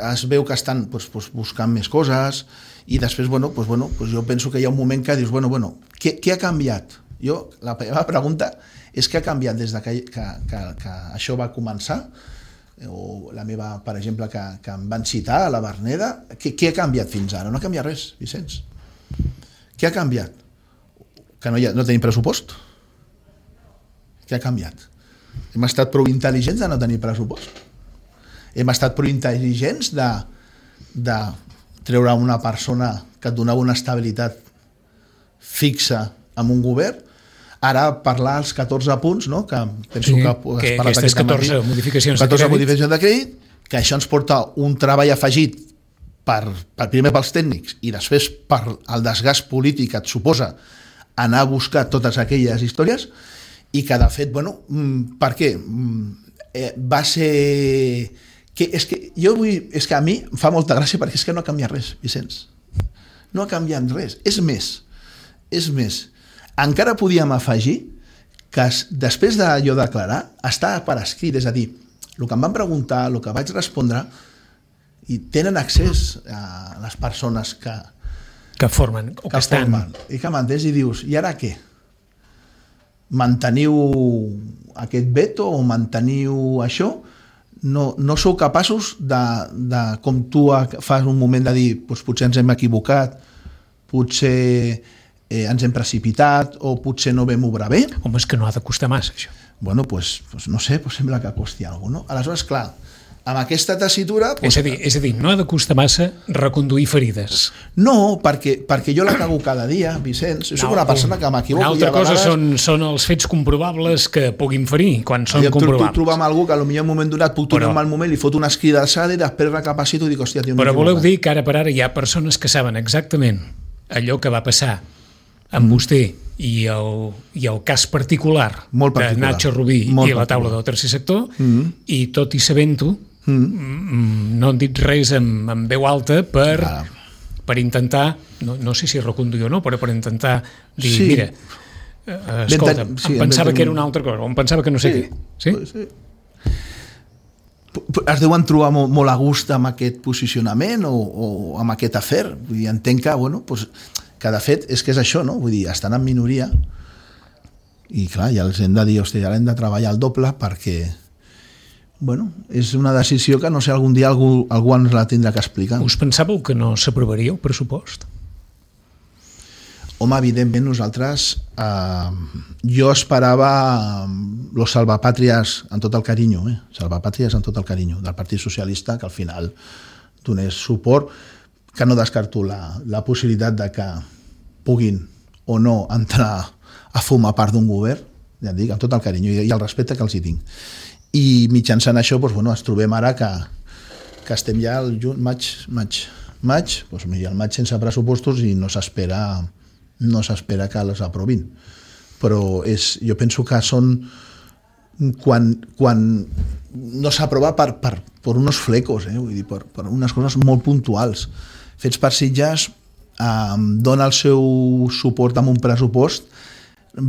Speaker 3: es veu que estan pues, pues, buscant més coses, i després, bueno, pues, bueno, pues jo penso que hi ha un moment que dius, bueno, bueno, què, què ha canviat? Jo, la meva pregunta és què ha canviat des de que, que, que, que això va començar, o la meva, per exemple, que, que em van citar a la Verneda, què, què ha canviat fins ara? No ha canviat res, Vicenç. Què ha canviat? Que no, hi ha, no tenim pressupost? Què ha canviat? Hem estat prou intel·ligents de no tenir pressupost. Hem estat prou intel·ligents de, de treure una persona que et donava una estabilitat fixa amb un govern, ara parlar als catorze punts, no? Que penso
Speaker 2: sí,
Speaker 3: que,
Speaker 2: que aquestes catorze modificacions
Speaker 3: catorze
Speaker 2: de crèdit,
Speaker 3: modificacions de crèdit, que això ens porta un treball afegit per, per primer pels tècnics i després per el desgast polític que et suposa anar a buscar totes aquelles històries, i que de fet, bueno, per què? Eh, va ser... Que és que jo vull... És que a mi em fa molta gràcia perquè és que no ha canviat res, Vicenç. No ha canviat res. És més, és més. Encara podíem afegir que després d'allò de declarar està per escrit, és a dir, el que em van preguntar, el que vaig respondre, i tenen accés a les persones que,
Speaker 2: que formen o que, que estan...
Speaker 3: Formen, i que m'entens i dius, i ara què? Manteniu aquest veto o manteniu això? No, no sou capaços de, de, com tu fas un moment de dir, doncs potser ens hem equivocat, potser eh, ens hem precipitat o potser no vam obrar bé?
Speaker 2: Home, és que no ha de costar massa, això.
Speaker 3: Bueno, doncs pues, pues no sé, pues sembla que costi alguna cosa, no? Aleshores, clar, amb aquesta tessitura... Pues,
Speaker 2: és, a dir, és a dir, no ha de costar massa reconduir ferides.
Speaker 3: No, perquè, perquè jo la cago cada dia, Vicenç. Jo no, soc una persona que m'equivoco.
Speaker 2: Una altra cosa vegades... són, són els fets comprovables que puguin ferir, quan són
Speaker 3: jo
Speaker 2: comprovables.
Speaker 3: Tu trobam algú que potser en un moment donat puc trobar un mal moment, li fot una esquida d'alçada i després recapacito i dic, hòstia, tio,
Speaker 2: però voleu dir que ara per ara hi ha persones que saben exactament allò que va passar amb mm. vostè i el, i el cas particular, particular de Nacho Rubí i la taula del tercer sector, mm. i tot i sabent-ho, mm. no han dit res amb, amb veu alta per, ah. per intentar, no, no sé si reconduir o no, però per intentar dir, sí. mira, eh, escolta, ten, sí, em pensava ten... que era una altra cosa, o em pensava que no sé sí. què. Sí?
Speaker 3: Sí. Es deuen trobar molt, molt a gust amb aquest posicionament o, o amb aquest afer. Vull dir, entenc que, bueno, pues, que de fet és que és això, no? Vull dir, estan en minoria i clar, ja els hem de dir, hòstia, ja hem de treballar el doble perquè, bueno, és una decisió que no sé, algun dia algú, algú ens la tindrà que explicar.
Speaker 2: Us pensàveu que no s'aprovaria el pressupost?
Speaker 3: Home, evidentment nosaltres eh, jo esperava los salvapàtries en tot el carinyo, eh? salvapàtries en tot el carinyo del Partit Socialista, que al final donés suport, que no descarto la, la possibilitat de que puguin o no entrar a formar part d'un govern, ja et dic, amb tot el carinyo i el respecte que els hi tinc. I mitjançant això, doncs, bueno, ens trobem ara que, que estem ja al juny, maig, maig, maig, doncs, el maig sense pressupostos i no s'espera no s'espera que les aprovin. Però és, jo penso que són quan, quan no s'aprova per, per, per unos flecos, eh? Vull dir, per, per unes coses molt puntuals. Fets per Sitges eh, dona el seu suport amb un pressupost,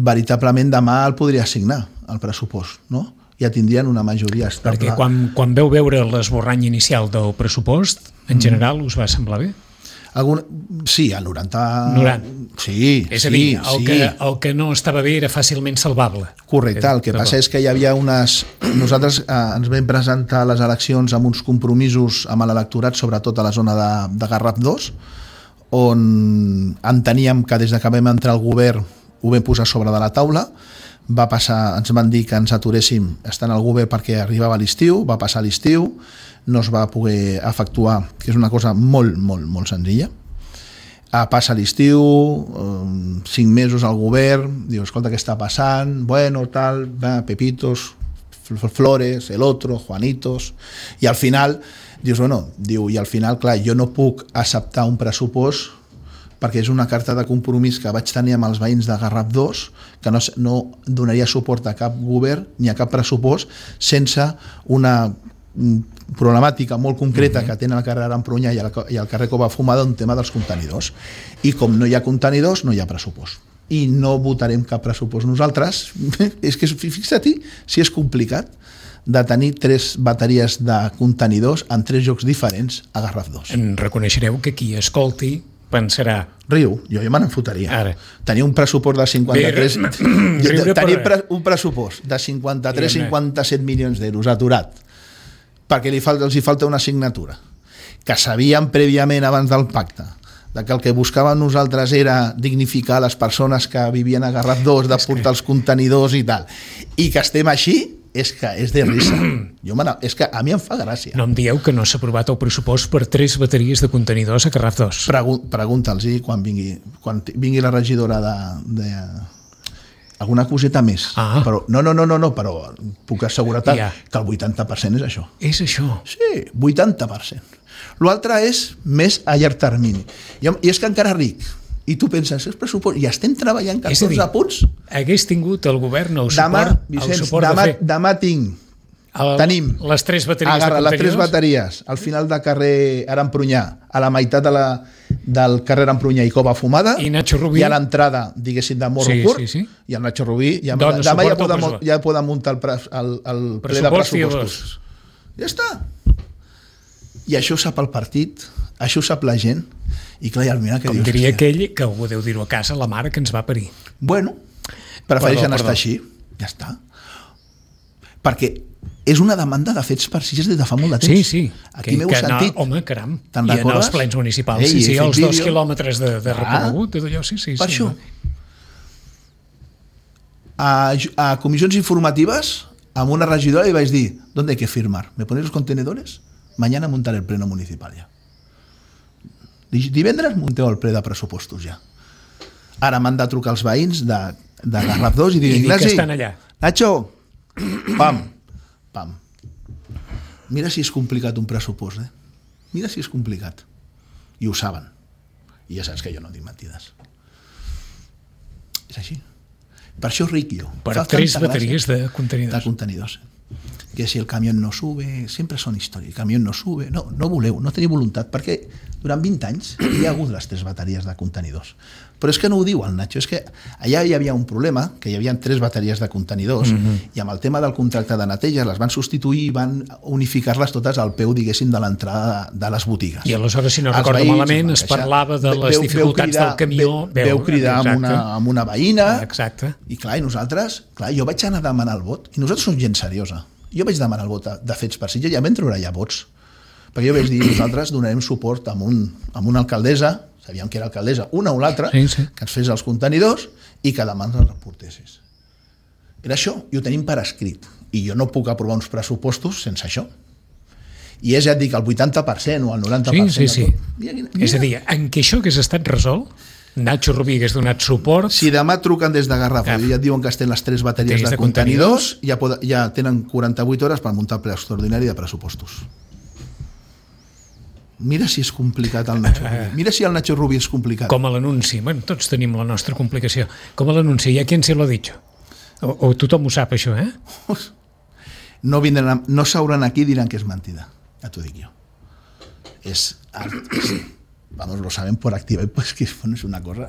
Speaker 3: veritablement demà el podria assignar, el pressupost, no? Ja tindrien una majoria estable.
Speaker 2: Perquè quan, quan veu veure l'esborrany inicial del pressupost, en general, us va semblar bé?
Speaker 3: Algun... Sí, el noranta...
Speaker 2: noranta.
Speaker 3: Sí,
Speaker 2: és a
Speaker 3: sí,
Speaker 2: dir, el,
Speaker 3: sí.
Speaker 2: que, el que no estava bé era fàcilment salvable.
Speaker 3: Correcte, el que passa és que hi havia unes... Nosaltres eh, ens vam presentar a les eleccions amb uns compromisos amb l'electorat, sobretot a la zona de, de Garraf dos, on enteníem que des que vam entrar al govern ho vam posar sobre de la taula, va passar, ens van dir que ens aturéssim estant al govern perquè arribava l'estiu, va passar l'estiu, no es va poder efectuar, que és una cosa molt, molt, molt senzilla. Ah, passa l'estiu, um, cinc mesos al govern, diu, escolta, què està passant? Bueno, tal, va, Pepitos, Flores, el otro, Juanitos, i al final, dius, bueno, diu, i al final, clar, jo no puc acceptar un pressupost perquè és una carta de compromís que vaig tenir amb els veïns de Garraf dos, que no, no donaria suport a cap govern ni a cap pressupost sense una problemàtica molt concreta que tenen al carrer Arampronya i al carrer Cova Fumada, un tema dels contenidors. I com no hi ha contenidors, no hi ha pressupost. I no votarem cap pressupost nosaltres. És que, fixa't si és complicat de tenir tres bateries de contenidors en tres llocs diferents a Garraf dos.
Speaker 2: En reconeixereu que qui escolti pensarà...
Speaker 3: Riu, jo ja me n'enfotaria.
Speaker 2: Ara.
Speaker 3: Tenir un pressupost de cinquanta-tres...
Speaker 2: Bé,
Speaker 3: tenir per... un pressupost de cinquanta-tres a cinquanta-set milions d'euros aturat, perquè li falta, els hi falta una assignatura, que sabíem prèviament abans del pacte, de que el que buscàvem nosaltres era dignificar les persones que vivien a Garraf dos, de portar els contenidors i tal, i que estem així, és que és de risa. Jo és que a mi em fa gràcia.
Speaker 2: No em dieu que no s'ha aprovat el pressupost per tres bateries de contenidors a Garraf dos.
Speaker 3: Pregu Pregunta'ls quan vingui, quan vingui la regidora de, de alguna coseta més.
Speaker 2: Ah.
Speaker 3: Però, no, no, no, no, no, però puc assegurar
Speaker 2: Ja.
Speaker 3: que el vuitanta per cent és això.
Speaker 2: És això.
Speaker 3: Sí, vuitanta per cent. L'altre és més a llarg termini. I, I és que encara ric. I tu penses, és pressupost, i estem treballant catorze
Speaker 2: dir,
Speaker 3: punts.
Speaker 2: Hagués tingut el govern el
Speaker 3: Demà,
Speaker 2: suport,
Speaker 3: Vicenç,
Speaker 2: el suport
Speaker 3: demà,
Speaker 2: de fer
Speaker 3: demà tinc,
Speaker 2: el,
Speaker 3: tenim,
Speaker 2: les tres bateries
Speaker 3: agarra
Speaker 2: de
Speaker 3: les tres
Speaker 2: contenidors.
Speaker 3: bateries al final del carrer Arampronyà, a la meitat de la, del carrer Arampronyà i Cova Fumada,
Speaker 2: I Nacho Rubí.
Speaker 3: i a l'entrada, diguéssim, de Morro
Speaker 2: Sí,
Speaker 3: Curt,
Speaker 2: sí, sí.
Speaker 3: i el Nacho Rubí, ja,
Speaker 2: Dona
Speaker 3: demà ja
Speaker 2: suport al
Speaker 3: poden,
Speaker 2: pressupost.
Speaker 3: ja poden muntar el, pre, el, el ple de
Speaker 2: Pressupost i
Speaker 3: pressupostos. Ja està. I això ho sap el partit, això ho sap la gent, i clar, i al final que
Speaker 2: Com
Speaker 3: dius...
Speaker 2: diria
Speaker 3: hòstia,
Speaker 2: aquell, que algú deu dir-ho a casa, la mare que ens va parir.
Speaker 3: Bueno, prefereixen
Speaker 2: Perdó,
Speaker 3: estar
Speaker 2: perdó.
Speaker 3: així, ja està. Perquè és una demanda de fets per Sitges des de fa molt de temps.
Speaker 2: Sí, sí.
Speaker 3: Aquí
Speaker 2: que,
Speaker 3: m'heu
Speaker 2: que anar,
Speaker 3: sentit.
Speaker 2: home, caram.
Speaker 3: Te'n
Speaker 2: I anar
Speaker 3: recordes?
Speaker 2: als plens municipals.
Speaker 3: Ei,
Speaker 2: sí, sí,
Speaker 3: he fet
Speaker 2: els dos
Speaker 3: vídeo.
Speaker 2: quilòmetres de, de
Speaker 3: Ah.
Speaker 2: recorregut, tot allò, sí, sí.
Speaker 3: Per
Speaker 2: sí,
Speaker 3: això. A, a comissions informativas, amb una regidora li vaig dir, ¿dónde hay que firmar? ¿Me ponéis los contenedores? Mañana montaré el pleno municipal ja. Divendres munteu el ple de pressupostos ja. Ara m'han de trucar els veïns de, de Garraf dos i dir,
Speaker 2: I dir que
Speaker 3: Ignasi,
Speaker 2: estan allà.
Speaker 3: Nacho, pam, pam. Mira si és complicat un pressupost, eh? Mira si és complicat. I ho saben. I ja saps que jo no dic mentides. És així. Per això ric jo.
Speaker 2: Per
Speaker 3: Fa
Speaker 2: tres
Speaker 3: tanta
Speaker 2: bateries
Speaker 3: gràcia.
Speaker 2: de contenidors.
Speaker 3: De contenidors. Que si el camión no sube, sempre són històries, el camió no sube, no, no voleu, no teniu voluntat, perquè durant vint anys hi ha hagut les tres bateries de contenidors. Però és que no ho diu el Nacho, és que allà hi havia un problema, que hi havia tres bateries de contenidors, mm-hmm. i amb el tema del contracte de neteja les van substituir i van unificar-les totes al peu, diguéssim, de l'entrada de, de les botigues.
Speaker 2: I aleshores, si no
Speaker 3: Els
Speaker 2: recordo
Speaker 3: veïns
Speaker 2: malament, es
Speaker 3: van queixar.
Speaker 2: parlava de les
Speaker 3: Veu-
Speaker 2: dificultats
Speaker 3: veu cridar,
Speaker 2: del camió.
Speaker 3: Veu, veu cridar amb una, amb una veïna,
Speaker 2: Exacte.
Speaker 3: i clar, i nosaltres, clar, jo vaig anar a demanar el vot, i nosaltres som gent seriosa. Jo vaig demanar el vot de, de Fets per Sitges i ja vam treure ja vots. Perquè jo vaig dir, nosaltres donarem suport amb, un, amb una alcaldessa, sabíem que era alcaldessa, una o l'altra,
Speaker 2: Sí, sí.
Speaker 3: que ens fes els contenidors i que demà ens els reportessis. Era això, i ho tenim per escrit. I jo no puc aprovar uns pressupostos sense això. I és, ja et dic, el vuitanta per cent o el noranta per cent.
Speaker 2: Sí, sí, sí.
Speaker 3: de tot. Mira, mira.
Speaker 2: És a dir, en què això hagués estat resolt, Nacho Rubí hagués donat suport.
Speaker 3: Si demà truquen des de Garraf
Speaker 2: Cap.
Speaker 3: i ja et diuen que estem les tres bateries
Speaker 2: Bateries
Speaker 3: de,
Speaker 2: de
Speaker 3: contenidors, ja, pod ja tenen quaranta-vuit hores per muntar el ple extraordinari de pressupostos. Mira si és complicat el Nacho Rubí. Mira si el Nacho Rubí és complicat.
Speaker 2: Com a l'anunci. Bueno, tots tenim la nostra complicació. Com a l'anunci. ¿Y a quién se lo ha dicho? O, o tothom ho sap, això, eh?
Speaker 3: No, vindran, no s'hauran aquí i diran que és mentida. Ja t'ho dic jo. És... és vamos, lo saben por activa i pues que bueno, és una cosa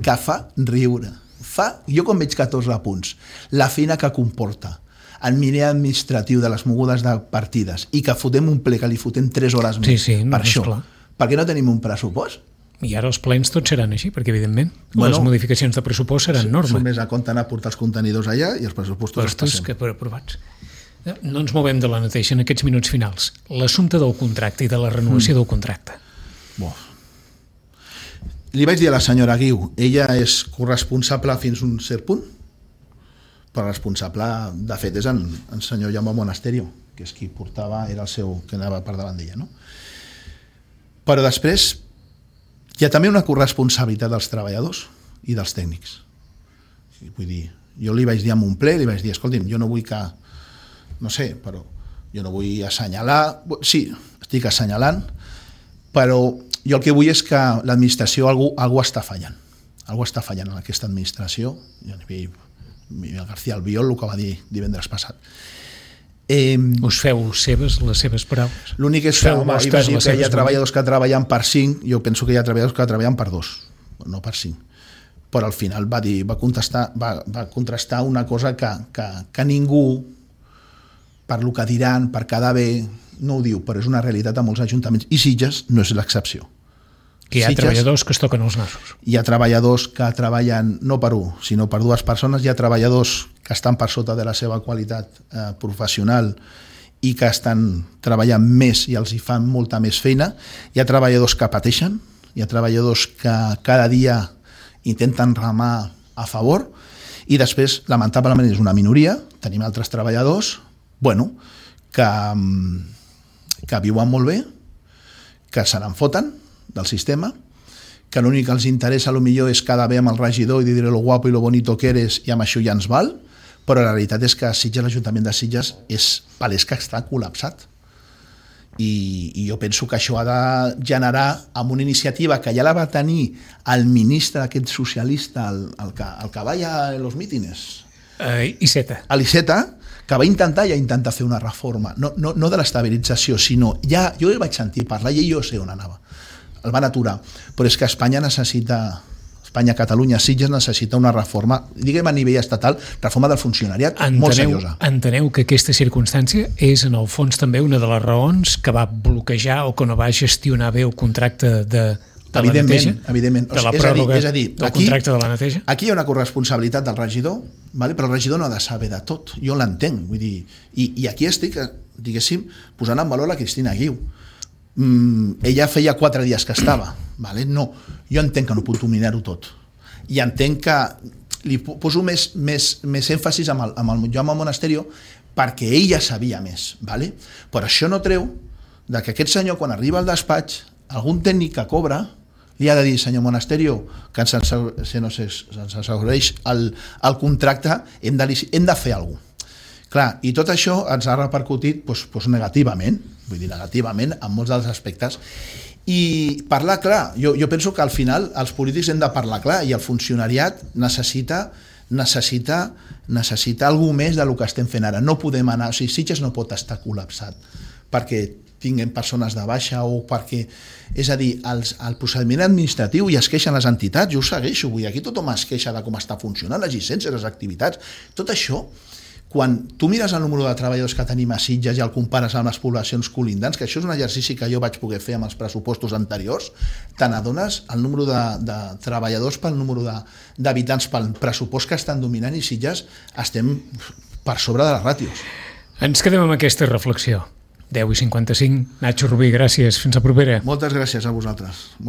Speaker 3: que fa riure. Fa, jo quan veig catorze punts, la feina que comporta, el miner administratiu de les mogudes de partides i que fotem un ple que li fotem tres hores més
Speaker 2: Sí, sí, no,
Speaker 3: per
Speaker 2: és
Speaker 3: això.
Speaker 2: clar.
Speaker 3: Per què no tenim un pressupost?
Speaker 2: I ara els plens tots seran així, perquè evidentment
Speaker 3: Bueno,
Speaker 2: les modificacions de pressupost seran
Speaker 3: Som
Speaker 2: normes.
Speaker 3: més a compte anar a portar els contenidors allà i els pressupostos els
Speaker 2: Prestos
Speaker 3: passem.
Speaker 2: que per aprovats. No ens movem de la neteja en aquests minuts finals. L'assumpte del contracte i de la renovació mm. del contracte.
Speaker 3: Bo. Li vaig dir a la senyora Guiu, ella és corresponsable fins a un cert punt, però responsable, de fet, és en, en senyor Jaume Monasterio, que és qui portava, era el seu, que anava per davant d'ella, no? Però després hi ha també una corresponsabilitat dels treballadors i dels tècnics. Vull dir, jo li vaig dir en un ple, li vaig dir, escolti'm, jo no vull que, no sé, però jo no vull assenyalar, sí, estic assenyalant, però jo el que vull és que l'administració algú, algú està fallant. Algú està fallant en aquesta administració. Ja nivell, Miguel García Albiol, el que va dir divendres passat. Eh,
Speaker 2: Us feu seves les seves paraules?
Speaker 3: L'únic és que
Speaker 2: Feu
Speaker 3: home,
Speaker 2: vostres
Speaker 3: va dir
Speaker 2: les
Speaker 3: que hi ha
Speaker 2: seves
Speaker 3: treballadors que treballen per cinc, jo penso que hi ha treballadors que treballen per dos, no per cinc. Però al final va dir, va contestar, va, va contrastar una cosa que, que, que ningú, per lo que diran, per quedar bé, no ho diu, però és una realitat a molts ajuntaments. I Sitges no és l'excepció.
Speaker 2: Que hi ha
Speaker 3: Sitges,
Speaker 2: treballadors que es toquen els nassos.
Speaker 3: hi ha treballadors que treballen no per un, sinó per dues persones, hi ha treballadors que estan per sota de la seva qualitat eh, professional i que estan treballant més i els hi fan molta més feina, hi ha treballadors que pateixen, hi ha treballadors que cada dia intenten remar a favor i després, lamentablement, és una minoria, tenim altres treballadors, bueno, que, que viuen molt bé, que se n'en foten del sistema, que l'únic que els interessa a lo millor és quedar bé amb el regidor i dir lo guapo i lo bonito que eres i amb això ja ens val, però la realitat és que Sitges, l'Ajuntament de Sitges, és palès que està col·lapsat. I, i jo penso que això ha de generar amb una iniciativa que ja la va tenir el ministre aquest socialista, el, el, que, el que va a los mítines,
Speaker 2: uh, Iceta.
Speaker 3: a l'Iceta, que va intentar ja intentar fer una reforma, no, no, no de l'estabilització, sinó ja, jo el vaig sentir parlar i jo sé on anava, el van aturar, però és que Espanya necessita, Espanya, Catalunya, Sitges necessita una reforma, diguem a nivell estatal, reforma del funcionariat enteneu, molt seriosa.
Speaker 2: Enteneu que aquesta circumstància és en el fons també una de les raons que va bloquejar o que no va gestionar bé el contracte de, de la neteja?
Speaker 3: Evidentment,
Speaker 2: de la
Speaker 3: és
Speaker 2: pròrroga
Speaker 3: és a dir,
Speaker 2: del
Speaker 3: aquí,
Speaker 2: contracte de la neteja?
Speaker 3: Aquí hi ha una corresponsabilitat del regidor, vale? Però el regidor no ha de saber de tot, jo l'entenc, vull dir, i, i aquí estic, diguéssim, posant en valor la Cristina Guiu. Mm, ella feia quatre dies que estava, vale? No, jo entenc que no puc dominar-ho tot i entenc que li poso més, més, més èmfasis amb el, amb el Jaume Monasterio perquè ella sabia més, vale? Però això no treu de que aquest senyor quan arriba al despatx, algun tècnic que cobra li ha de dir, senyor Monasterio, que ens assegureix el, el contracte, hem de, hem de fer alguna cosa. Clar, i tot això ens ha repercutit doncs, doncs negativament, vull dir negativament en molts dels aspectes, i parlar clar, jo, jo penso que al final els polítics hem de parlar clar i el funcionariat necessita necessita, necessita alguna més del que estem fent ara, no podem anar, o sigui, Sitges no pot estar col·lapsat perquè tinguem persones de baixa o perquè, és a dir, els, el procediment administratiu i es queixen les entitats, jo ho segueixo, vull dir, aquí tothom es queixa de com està funcionant les llicències, les activitats, tot això. Quan tu mires el número de treballadors que tenim a Sitges i el compares amb les poblacions colindants, que això és un exercici que jo vaig poder fer amb els pressupostos anteriors, te n'adones el número de, de treballadors pel número d'habitants pel pressupost que estan dominant i Sitges estem per sobre de les ràtios.
Speaker 2: Ens quedem amb aquesta reflexió. deu i cinquanta-cinc. Nacho Rubí, gràcies. Fins la propera.
Speaker 3: Moltes gràcies a vosaltres.